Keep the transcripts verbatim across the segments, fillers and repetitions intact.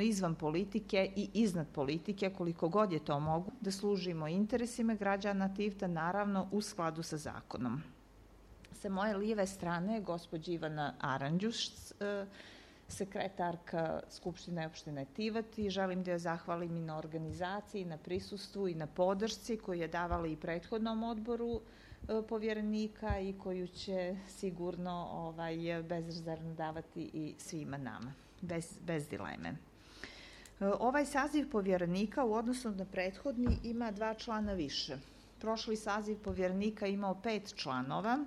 izvan politike i iznad politike, koliko god je to mogu, da služimo interesima građana Tivta, naravno u skladu sa zakonom. Sa moje lijeve strane je gospođa Ivana Aranđuš, sekretarka Skupštine opštine Tivat, i želim da joj zahvalim i na organizaciji, na prisustvu i na podršci koju je davala i prethodnom odboru povjerenika i koju će sigurno ovaj, bezrezervno davati i svima nama, bez, bez dileme. Ovaj saziv povjerenika u odnosu na prethodni ima dva člana više. Prošli saziv povjerenika imao pet članova,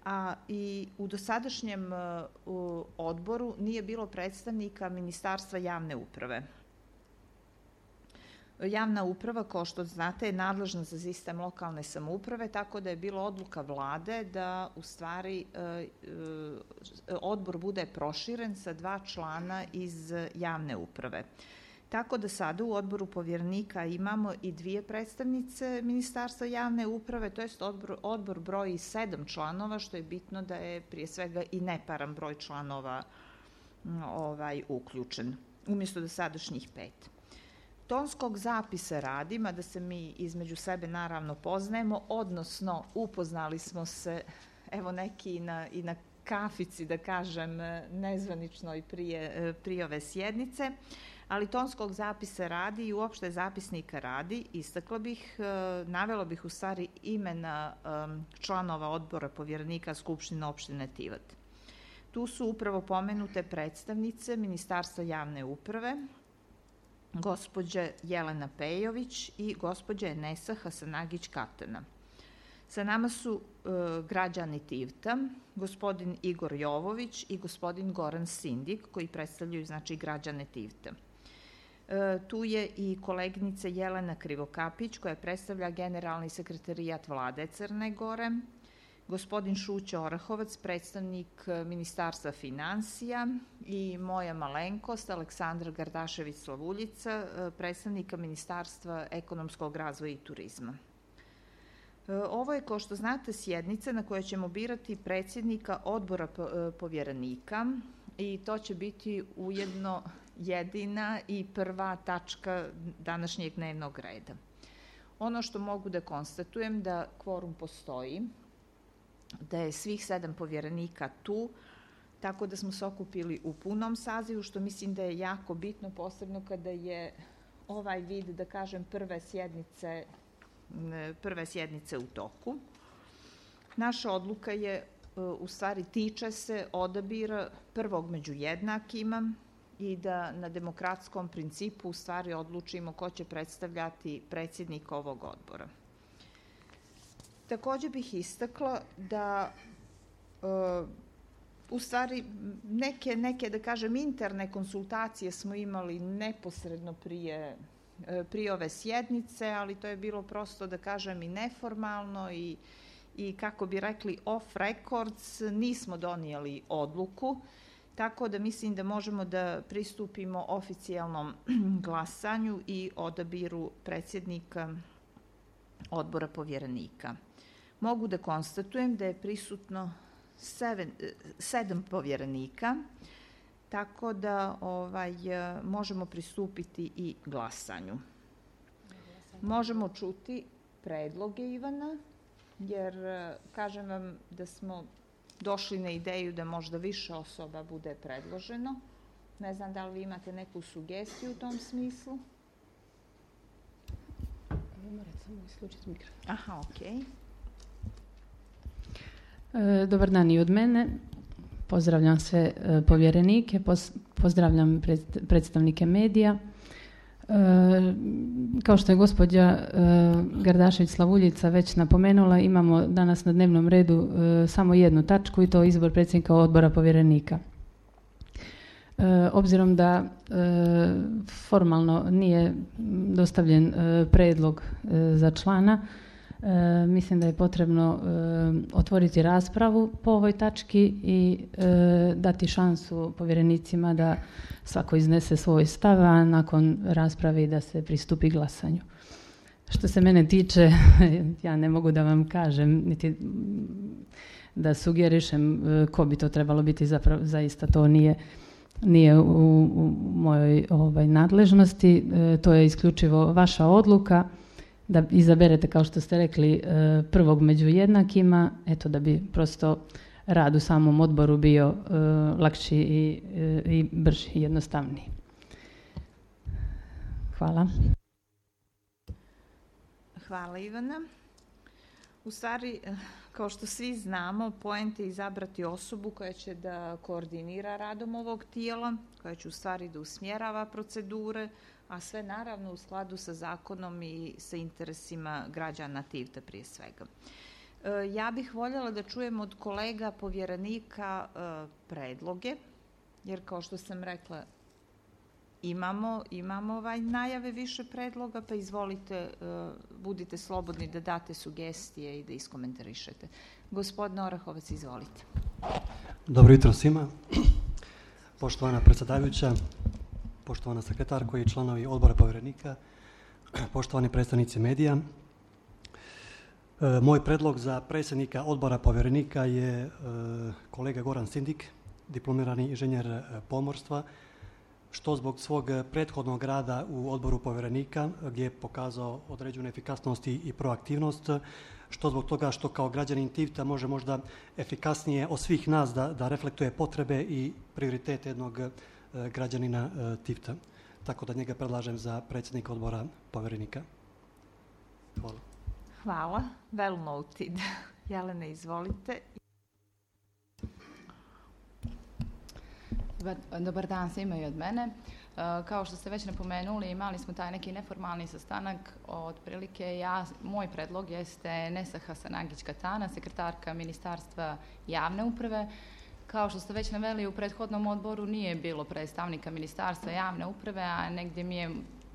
a i u dosadašnjem u odboru nije bilo predstavnika Ministarstva javne uprave. Javna uprava, kao što znate, je nadležna za sistem lokalne samouprave, tako da je bilo odluka vlade da u stvari odbor bude proširen sa dva člana iz javne uprave. Tako da sada u odboru povjerenika imamo i dvije predstavnice Ministarstva javne uprave, to jest odbor, odbor broji sedam članova, što je bitno da je prije svega i neparan broj članova ovaj, uključen, umjesto dosadašnjih pet. Tonskog zapisa radi, mada se mi između sebe naravno poznajemo, odnosno upoznali smo se, evo neki i na, i na kafici, da kažem, nezvaničnoj prije, prije ove sjednice, ali tonskog zapisa radi i uopšte zapisnika radi, istakla bih, navela bih u stvari imena članova odbora povjerenika Skupštine opštine Tivat. Tu su upravo pomenute predstavnice Ministarstva javne uprave, gospođa Jelena Pejović i gospođa Enesa Hasanagić-Katana. Sa nama su e, građani Tivta, gospodin Igor Jovović i gospodin Goran Sindik, koji predstavljaju znači građane Tivta. E, tu je i koleginica Jelena Krivokapić, koja predstavlja generalni sekretarijat vlade Crne Gore, gospodin Šuća Orahovac, predstavnik Ministarstva finansija, i moja malenkost, Aleksandra Gardašević-Slavuljica, predstavnika Ministarstva ekonomskog razvoja i turizma. Ovo je, kao što znate, sjednica na kojoj ćemo birati predsjednika odbora povjerenika i to će biti ujedno jedina i prva tačka današnjeg dnevnog reda. Ono što mogu da konstatujem da kvorum postoji, da je svih sedam povjerenika tu, tako da smo se okupili u punom sazivu, što mislim da je jako bitno, posebno kada je ovaj vid, da kažem, prve sjednice, prve sjednice u toku. Naša odluka je, u stvari, tiče se odabira prvog među jednakima i da na demokratskom principu u stvari odlučimo ko će predstavljati predsjednika ovog odbora. Također bih istakla da uh, u stvari neke, neke, da kažem, interne konsultacije smo imali neposredno prije, prije ove sjednice, ali to je bilo prosto, da kažem, i neformalno i, i kako bi rekli off records, nismo donijeli odluku, tako da mislim da možemo da pristupimo oficijalnom glasanju i odabiru predsjednika odbora povjerenika. Mogu da konstatujem da je prisutno seven, sedam povjerenika, tako da ovaj, možemo pristupiti i glasanju. Možemo čuti predloge Ivana, jer kažem vam da smo došli na ideju da možda više osoba bude predloženo. Ne znam da li vi imate neku sugestiju u tom smislu? Morate samo isključiti mikrofon. Aha, okej. Okay. Dobar dan i od mene. Pozdravljam sve povjerenike, pozdravljam predstavnike medija. Kao što je gospođa Gardašević-Slavuljica već napomenula, imamo danas na dnevnom redu samo jednu tačku i to izbor predsjednika odbora povjerenika. Obzirom da formalno nije dostavljen predlog za člana, E, mislim da je potrebno e, otvoriti raspravu po ovoj tački i e, dati šansu povjerenicima da svako iznese svoj stav, a nakon rasprave da se pristupi glasanju. Što se mene tiče, ja ne mogu da vam kažem, niti da sugerišem ko bi to trebalo biti, zapravo zaista to nije nije u, u mojoj ovaj, nadležnosti. E, to je isključivo vaša odluka da izaberete, kao što ste rekli, e, prvog među jednakima, eto da bi prosto rad u samom odboru bio e, lakši i, e, i brži i jednostavniji. Hvala. Hvala, Ivana. U stvari, kao što svi znamo, poenta je izabrati osobu koja će da koordinira radom ovog tijela, koja će u stvari da usmjerava procedure, a sve naravno u skladu sa zakonom i sa interesima građana Tivta prije svega. Ja bih voljela da čujem od kolega povjerenika predloge, jer kao što sam rekla, imamo, imamo ovaj najave više predloga, pa izvolite, budite slobodni da date sugestije i da iskomentarišete. Gospodine Orahovac, izvolite. Dobro jutro svima. Poštovana predsjedavajuća, poštovana sekretarko i članovi odbora povjerenika, poštovani predstavnici medija. E, moj predlog za predsjednika odbora povjerenika je e, kolega Goran Sindik, diplomirani inženjer pomorstva, što zbog svog prethodnog rada u odboru povjerenika gdje je pokazao određenu efikasnost i proaktivnost, što zbog toga što kao građanin Tivta može možda efikasnije od svih nas da, da reflektuje potrebe i prioritete jednog e, građanina e, Tivta. Tako da njega predlažem za predsjednika odbora povjerenika. Hvala. Hvala. Well noted. Jelena, izvolite. Dobar, dobar dan svima i od mene. Kao što ste već napomenuli, imali smo taj neki neformalni sastanak. Otprilike ja, moj predlog jeste Nesa Hasanagić-Katana, sekretarka Ministarstva javne uprave. Kao što ste već naveli, u prethodnom odboru nije bilo predstavnika Ministarstva javne uprave, a negdje mi je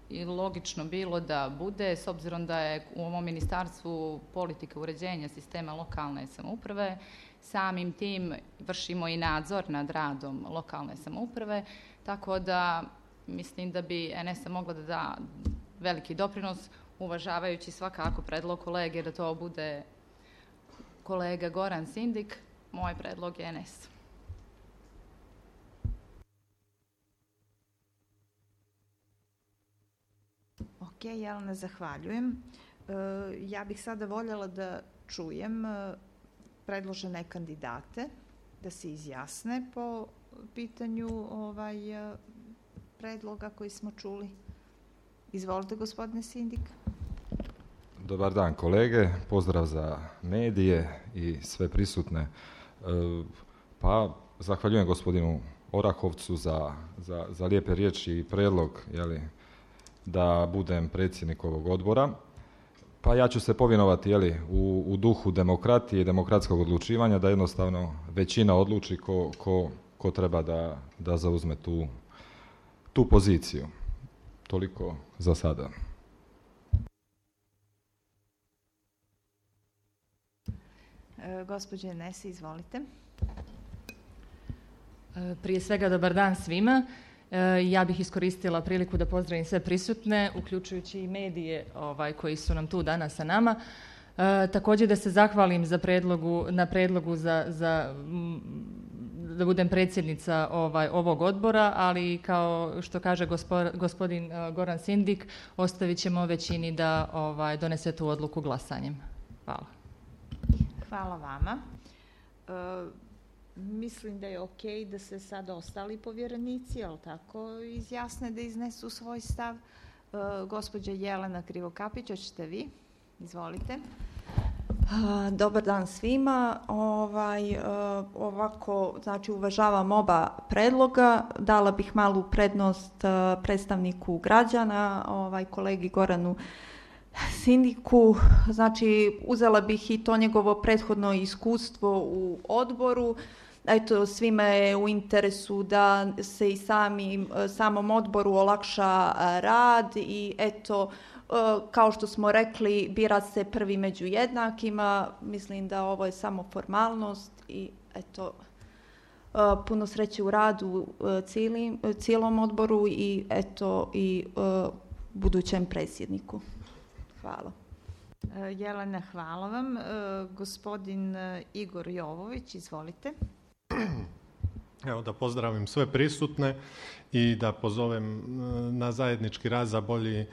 i logično bilo da bude, s obzirom da je u ovom ministarstvu politika uređenja sistema lokalne samouprave. Samim tim vršimo i nadzor nad radom lokalne samouprave, tako da mislim da bi N S A mogla da da veliki doprinos, uvažavajući svakako predlog kolege da to bude kolega Goran Sindik. Moj predlog je N S. Ok, Jelena, zahvaljujem. Ja bih sada voljela da čujem predložene kandidate, da se izjasne po pitanju ovaj predloga koji smo čuli. Izvolite, gospodine Sindik. Dobar dan, kolege. Pozdrav za medije i sve prisutne. Pa, zahvaljujem gospodinu Orahovcu za, za, za lijepe riječi i predlog, jeli, da budem predsjednik ovog odbora. Pa ja ću se povjenovati, jeli, u, u duhu demokratije i demokratskog odlučivanja, da jednostavno većina odluči ko, ko, ko treba da, da zauzme tu, tu poziciju. Toliko za sada. E, gospođe Nesi, izvolite. E, prije svega dobar dan svima. Ja bih iskoristila priliku da pozdravim sve prisutne, uključujući i medije ovaj, koji su nam tu danas sa nama. E, također da se zahvalim za predlogu, na predlogu za, za, da budem predsjednica ovaj, ovog odbora, ali kao što kaže gospo, gospodin Goran Sindik, ostavit ćemo većini da ovaj, donese tu odluku glasanjem. Hvala. Hvala vama. E, Mislim da je ok da se sad ostali povjerenici, jel tako, izjasne da iznesu svoj stav. E, gospođa Jelena Krivokapić, hoćete vi? Izvolite. Dobar dan svima. Ovaj, ovako, znači uvažavam oba predloga. Dala bih malu prednost predstavniku građana, ovaj, kolegi Goranu Sindiku. Znači, uzela bih i to njegovo prethodno iskustvo u odboru. Eto, svima je u interesu da se i sami, samom odboru olakša rad i eto, kao što smo rekli, bira se prvi među jednakima. Mislim da ovo je samo formalnost i eto, puno sreće u radu cijelim, cijelom odboru i eto i budućem predsjedniku. Hvala. Jelena, hvala vam. Gospodin Igor Jovović, izvolite. Evo, da pozdravim sve prisutne i da pozovem na zajednički rad za bolji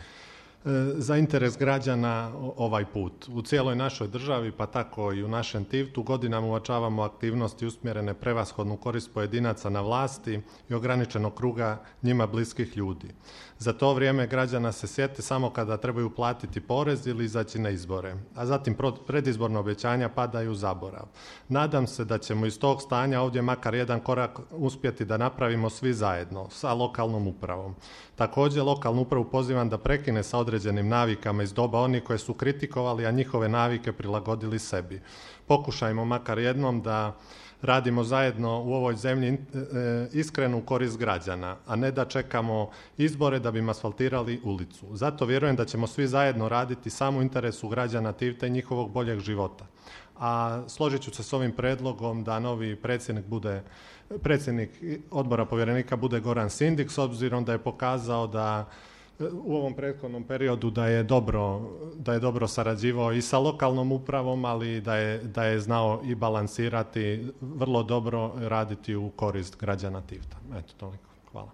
za interes građana ovaj put. U cijeloj našoj državi, pa tako i u našem Tivtu, godinama uočavamo aktivnosti usmjerene prevashodnu korist pojedinaca na vlasti i ograničenog kruga njima bliskih ljudi. Za to vrijeme građana se sjete samo kada trebaju platiti porez ili izaći na izbore, a zatim predizborna obećanja padaju u zaborav. Nadam se da ćemo iz tog stanja ovdje makar jedan korak uspjeti da napravimo svi zajedno sa lokalnom upravom. Također, lokalnu upravu pozivam da prekine sa određenim navikama iz doba onih koje su kritikovali, a njihove navike prilagodili sebi. Pokušajmo makar jednom da radimo zajedno u ovoj zemlji iskrenu korist građana, a ne da čekamo izbore da bi asfaltirali ulicu. Zato vjerujem da ćemo svi zajedno raditi samo u interesu građana Tivta i njihovog boljeg života. A složit ću se s ovim predlogom da novi predsjednik bude predsjednik odbora povjerenika bude Goran Sindik, s obzirom da je pokazao da u ovom prethodnom periodu da je dobro, da je dobro sarađivao i sa lokalnom upravom, ali da je, da je znao i balansirati, vrlo dobro raditi u korist građana Tivta. Eto, toliko. Hvala.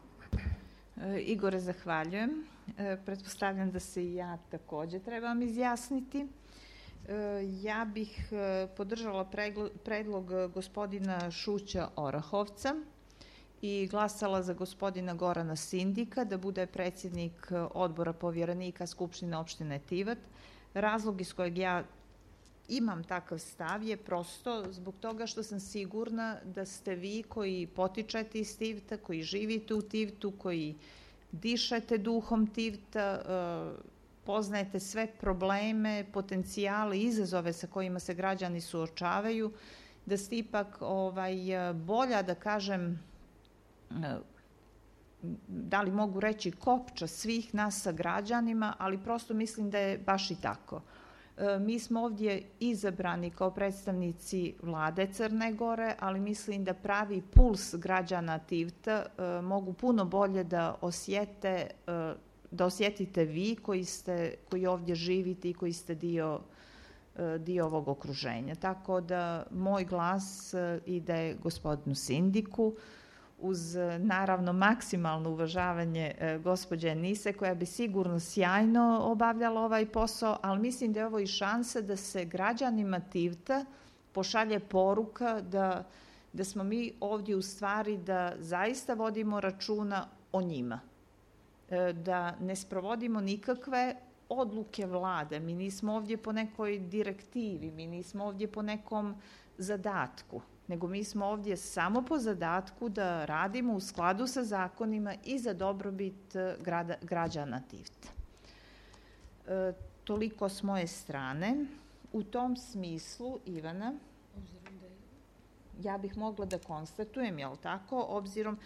E, Igore, zahvaljujem. E, pretpostavljam da se i ja također trebam izjasniti. Ja bih podržala predlog gospodina Šuća Orahovca i glasala za gospodina Gorana Sindika da bude predsjednik odbora povjerenika Skupštine opštine Tivat. Razlog iz kojeg ja imam takav stav je prosto zbog toga što sam sigurna da ste vi koji potičete iz Tivta, koji živite u Tivtu, koji dišete duhom Tivta, poznajete sve probleme, potencijale, izazove sa kojima se građani suočavaju, da ste ipak ovaj, bolja, da kažem, da li mogu reći kopča svih nas sa građanima, ali prosto mislim da je baš i tako. Mi smo ovdje izabrani kao predstavnici vlade Crne Gore, ali mislim da pravi puls građana Tivta mogu puno bolje da osjete da osjetite vi koji, ste, koji ovdje živite i koji ste dio, dio ovog okruženja. Tako da moj glas ide gospodinu Sindiku uz naravno maksimalno uvažavanje gospođe Nise koja bi sigurno sjajno obavljala ovaj posao, ali mislim da je ovo i šansa da se građanima Tivta pošalje poruka da, da smo mi ovdje u stvari da zaista vodimo računa o njima. Da ne sprovodimo nikakve odluke vlade. Mi nismo ovdje po nekoj direktivi, mi nismo ovdje po nekom zadatku, nego mi smo ovdje samo po zadatku da radimo u skladu sa zakonima i za dobrobit grada, građana Tivta. E, toliko s moje strane. U tom smislu, Ivana, ja bih mogla da konstatujem, jel tako, obzirom,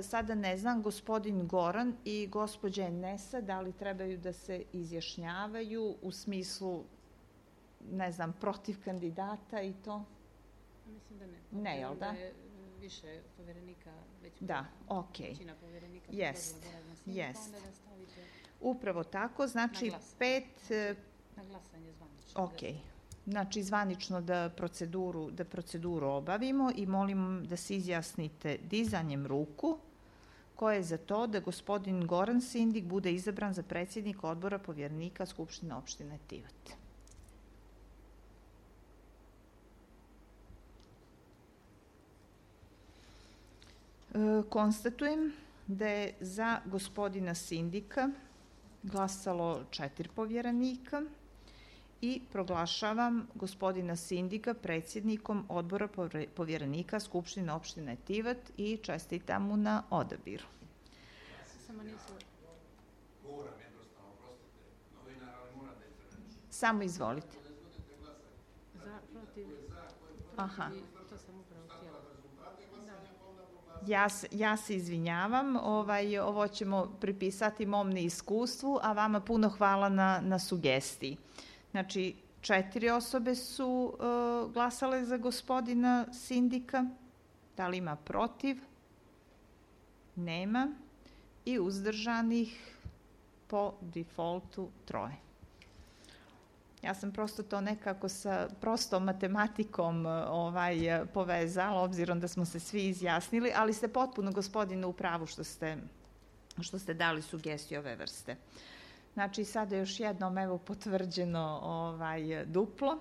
sada ne znam, gospodin Goran i gospođa Nesa, da li trebaju da se izjašnjavaju u smislu, ne znam, protiv kandidata i to? Mislim da ne. Ne, jel da? Da je više povjerenika već da, ok. većina povjerenika. Jest, jest. Onda da stavite upravo tako, znači na pet... Na glasanje zvanično. Ok. Znači, zvanično da proceduru, da proceduru obavimo i molim da se izjasnite dizanjem ruku koje je za to da gospodin Goran Sindik bude izabran za predsjednik odbora povjerenika Skupštine opštine Tivat. E, konstatujem da je za gospodina Sindika glasalo četiri povjerenika i proglašavam gospodina Sindika predsjednikom odbora povjerenika Skupštine opštine Tivat i čestitam mu na odabiru. Samo nisu... Samo izvolite. Za, protiv, Aha. to sam upravo htjela. Ja, ja se izvinjavam, ovaj, ovo ćemo pripisati mom neiskustvu, a vama puno hvala na, na sugestiji. Znači, četiri osobe su uh, glasale za gospodina Sindika. Da li ima protiv? Nema. I uzdržanih po defaultu troje. Ja sam prosto to nekako sa prostom matematikom ovaj, povezala, obzirom da smo se svi izjasnili, ali ste potpuno, gospodine, u pravu što ste, što ste dali sugestiju ove vrste. Znači, sada još jednom evo potvrđeno ovaj, duplo.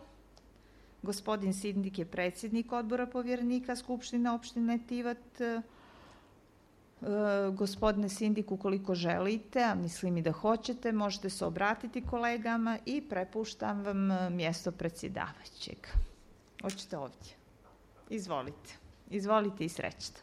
Gospodin Sindik je predsjednik odbora povjerenika Skupštine opštine Tivat. E, gospodine Sindik, ukoliko želite, a mislim i da hoćete, možete se obratiti kolegama i prepuštam vam mjesto predsjedavajućeg. Hoćete ovdje? Izvolite. Izvolite i srećno.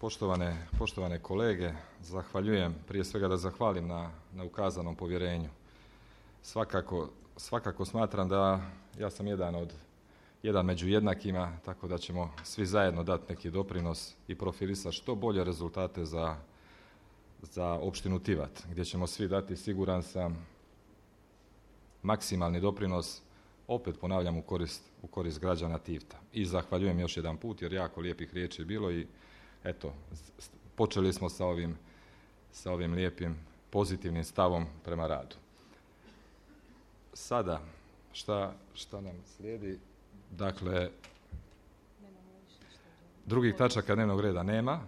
Poštovane, poštovane kolege, zahvaljujem, prije svega da zahvalim na, na ukazanom povjerenju. Svakako, svakako smatram da ja sam jedan od jedan među jednakima, tako da ćemo svi zajedno dati neki doprinos i profilisati što bolje rezultate za, za opštinu Tivat, gdje ćemo svi dati, siguran sam, maksimalni doprinos, opet ponavljam, u korist, u korist građana Tivta. I zahvaljujem još jedan put, jer jako lijepih riječi je bilo i eto, počeli smo sa ovim, sa ovim lijepim pozitivnim stavom prema radu. Sada, šta, šta nam slijedi? Dakle, drugih tačaka dnevnog reda nema.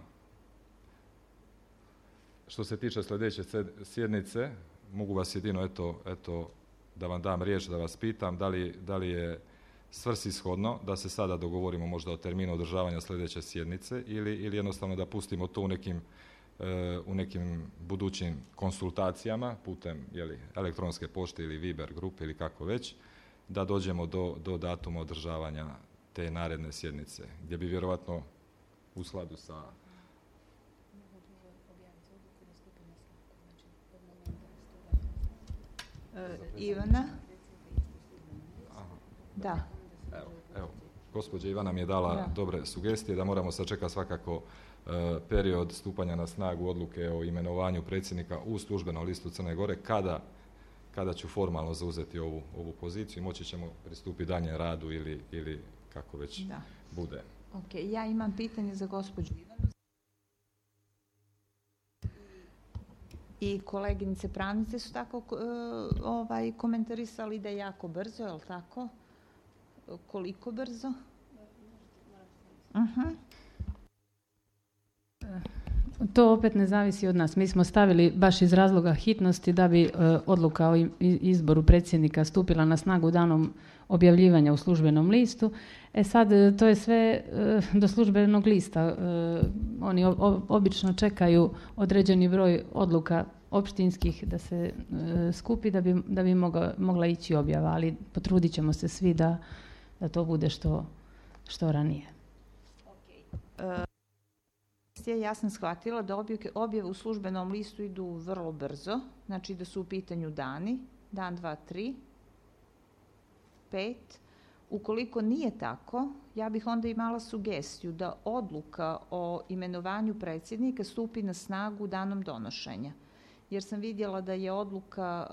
Što se tiče sljedeće sjednice, mogu vas jedino eto, eto, da vam dam riječ, da vas pitam da li, da li je svrsishodno da se sada dogovorimo možda o terminu održavanja sljedeće sjednice ili, ili jednostavno da pustimo to u nekim, e, u nekim budućim konsultacijama putem jeli, elektronske pošte ili Viber grupe ili kako već, da dođemo do, do datuma održavanja te naredne sjednice, gdje bi vjerovatno u skladu sa... E, Ivana? Da. Evo, evo, gospođa Ivana mi je dala da. dobre sugestije da moramo sačekati svakako e, period stupanja na snagu odluke o imenovanju predsjednika u službenom listu Crne Gore, kada, kada ću formalno zauzeti ovu, ovu poziciju i moći ćemo pristupiti dalje radu ili, ili kako već da. bude. Ok, ja imam pitanje za gospođu Ivanu. I koleginice pravnice su tako uh, ovaj, komentarisali da je jako brzo, je li tako? Koliko brzo? Uh-huh. To opet ne zavisi od nas. Mi smo stavili baš iz razloga hitnosti da bi uh, odluka o izboru predsjednika stupila na snagu danom objavljivanja u službenom listu. E sad, to je sve uh, do službenog lista. Uh, oni o, obično čekaju određeni broj odluka opštinskih da se uh, skupi da bi, da bi mogla, mogla ići objava, ali potrudit ćemo se svi da, da to bude što, što ranije. Okay. Uh, ja sam shvatila da objave u službenom listu idu vrlo brzo, znači da su u pitanju dani, dan, dva, tri, pet. Ukoliko nije tako, ja bih onda imala sugestiju da odluka o imenovanju predsjednika stupi na snagu danom donošenja. Jer sam vidjela da je odluka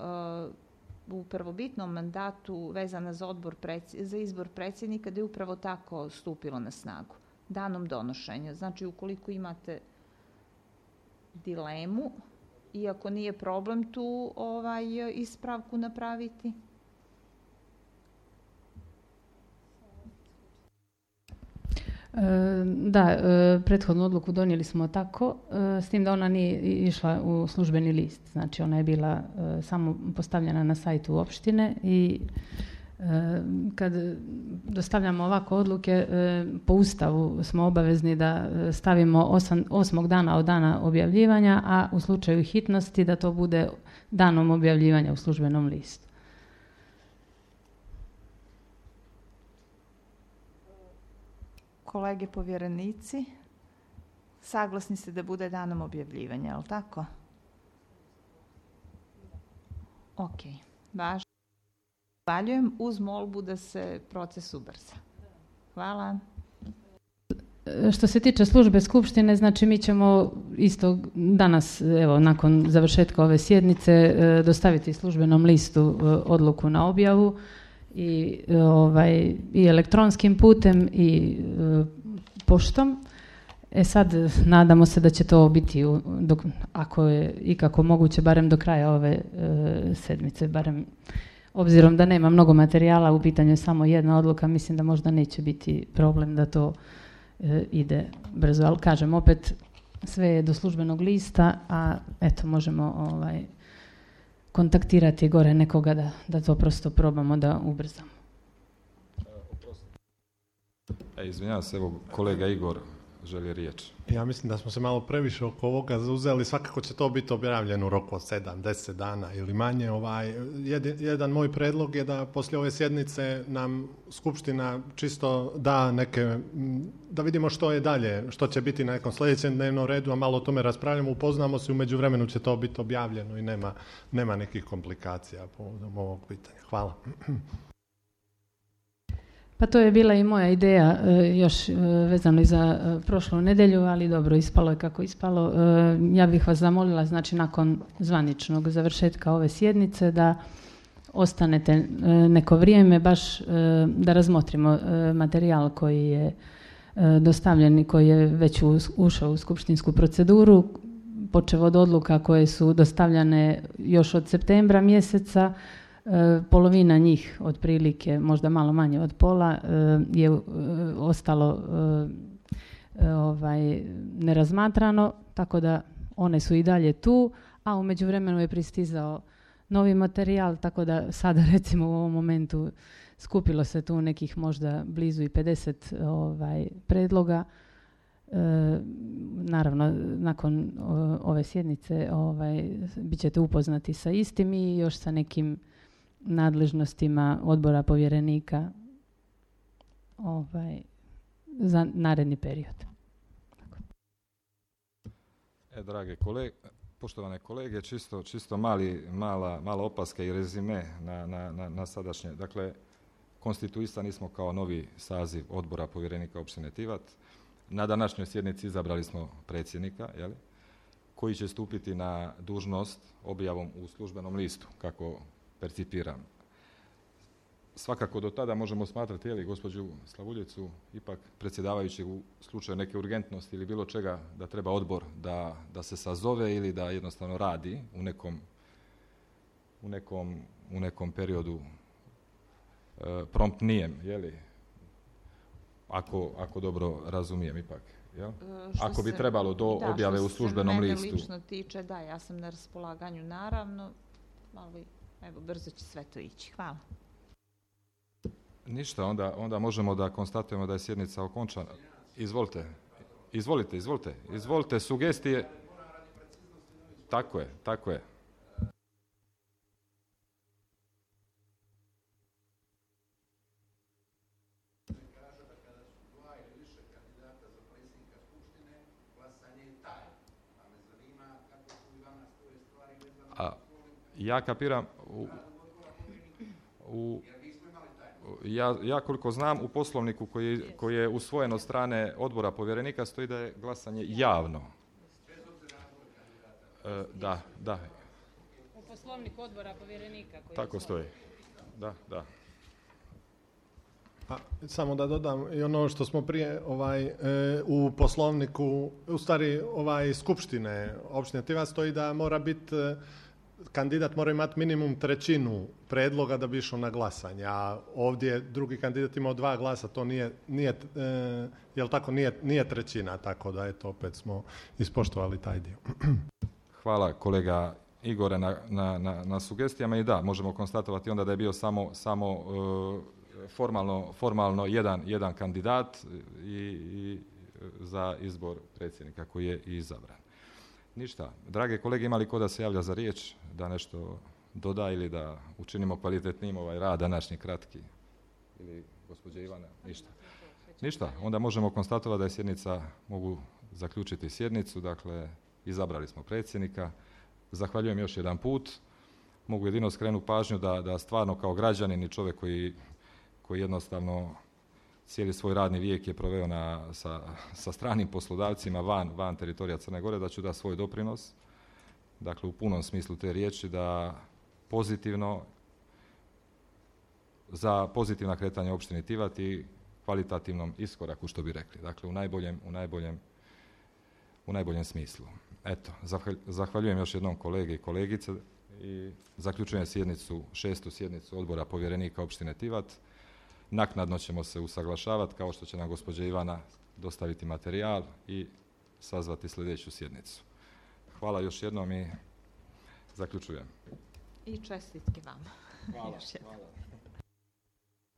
uh, u prvobitnom mandatu vezana za, odbor preds- za izbor predsjednika, da je upravo tako stupilo na snagu, danom donošenja. Znači, ukoliko imate dilemu, iako nije problem tu ovaj, ispravku napraviti. Da, prethodnu odluku donijeli smo tako, s tim da ona nije išla u službeni list. Znači ona je bila samo postavljena na sajtu opštine i kad dostavljamo ovako odluke, po Ustavu smo obavezni da stavimo osam, osmog dana od dana objavljivanja, a u slučaju hitnosti da to bude danom objavljivanja u službenom listu. Kolege povjerenici, saglasni ste da bude danom objavljivanja, je li tako? Ok, važno. pohvaljujem uz molbu da se proces ubrza. Hvala. Što se tiče službe skupštine, znači mi ćemo isto danas, evo, nakon završetka ove sjednice, dostaviti službenom listu odluku na objavu i, ovaj, i elektronskim putem i poštom. E sad, nadamo se da će to biti, u, dok, ako je ikako moguće, barem do kraja ove e, sedmice, barem obzirom da nema mnogo materijala, u pitanju je samo jedna odluka, mislim da možda neće biti problem da to e, ide brzo. Ali kažem, opet, sve je do službenog lista, a eto, možemo ovaj, kontaktirati gore nekoga da, da to prosto probamo da ubrzamo. E, izvinjavam se, evo kolega Igor želi riječ. Ja mislim da smo se malo previše oko ovoga zauzeli, svakako će to biti objavljeno u roku od sedam, deset dana ili manje. Ovaj, jedan moj predlog je da poslije ove sjednice nam Skupština čisto da neke, da vidimo što je dalje, što će biti na nekom sljedećem dnevnom redu, a malo o tome raspravljamo, upoznamo se, u međuvremenu će to biti objavljeno i nema, nema nekih komplikacija povodom ovog pitanja. Hvala. Pa to je bila i moja ideja još vezano i za prošlu nedjelju, ali dobro, ispalo je kako ispalo. Ja bih vas zamolila, znači nakon zvaničnog završetka ove sjednice, da ostanete neko vrijeme baš da razmotrimo materijal koji je dostavljen i koji je već ušao u skupštinsku proceduru, počev od odluka koje su dostavljane još od septembra mjeseca. Polovina njih, otprilike, možda malo manje od pola, je ostalo ovaj, nerazmatrano, tako da one su i dalje tu, a u međuvremenu je pristizao novi materijal, tako da sada recimo u ovom momentu skupilo se tu nekih možda blizu i pedeset ovaj, predloga. E, naravno, nakon o, ove sjednice ovaj, bit ćete upoznati sa istim i još sa nekim nadležnostima odbora povjerenika ovaj, za naredni period. E, drage kolege, poštovane kolege, čisto, čisto mali, mala, mala opaska i rezime na, na, na, na sadašnje. Dakle, konstituisani smo kao novi saziv odbora povjerenika općine Tivat. Na današnjoj sjednici izabrali smo predsjednika, jeli, koji će stupiti na dužnost objavom u službenom listu, kako percipiram. Svakako do tada možemo smatrati, jeli, gospođu Slavuljicu ipak predsjedavajući u slučaju neke urgentnosti ili bilo čega da treba odbor da, da se sazove ili da jednostavno radi u nekom, u nekom, u nekom periodu e, promptnijem, jeli, ako, ako dobro razumijem ipak. Jel? Što ako bi se, trebalo do da, objave u službenom listu. Što se mene lično tiče, da, ja sam na raspolaganju, naravno, ali evo, brzo će sve to ići. Hvala. Ništa, onda, onda možemo da konstatujemo da je sjednica okončana. Izvolite, izvolite, izvolite, izvolite, sugestije. Tako je, tako je. A ja kapiram, u, u, ja, ja koliko znam u poslovniku koji, koji je usvojen od strane odbora povjerenika stoji da je glasanje javno. E, da, da. U poslovniku odbora povjerenika koji tako je stoji. Da, da. Pa, samo da dodam i ono što smo prije ovaj, e, u poslovniku, u stvari ovaj, skupštine opštine Tivat stoji da mora biti, kandidat mora imati minimum trećinu predloga da bi išao na glasanje, a ovdje drugi kandidat imao dva glasa, to nije, nije e, jel tako, nije, nije trećina, tako da eto, opet smo ispoštovali taj dio. Hvala kolega Igore na, na, na, na sugestijama i da, možemo konstatovati onda da je bio samo, samo uh, formalno, formalno jedan, jedan kandidat i, i za izbor predsjednika koji je i izabran. Ništa. Drage kolege, ima li ko da se javlja za riječ, da nešto doda ili da učinimo kvalitetnim ovaj rad današnji kratki? Ili gospođa Ivana? Ništa. Ništa. Onda možemo konstatovati da je sjednica, mogu zaključiti sjednicu, dakle izabrali smo predsjednika. Zahvaljujem još jedan put. mogu jedino skrenuti pažnju da, da stvarno kao građanin i čovjek koji, koji jednostavno cijeli svoj radni vijek je proveo na, sa, sa stranim poslodavcima van, van teritorija Crne Gore, da ću da svoj doprinos, dakle u punom smislu te riječi, da pozitivno, za pozitivna kretanja opštine Tivat i kvalitativnom iskoraku, što bi rekli. Dakle, u najboljem, u najboljem, u najboljem smislu. Eto, zahvaljujem još jednom kolege i kolegice i zaključujem sjednicu, šestu sjednicu odbora povjerenika opštine Tivat. Naknadno ćemo se usaglašavati, kao što će nam gospođa Ivana dostaviti materijal i sazvati sljedeću sjednicu. Hvala još jednom i zaključujem. I čestitke vama. Hvala. Hvala.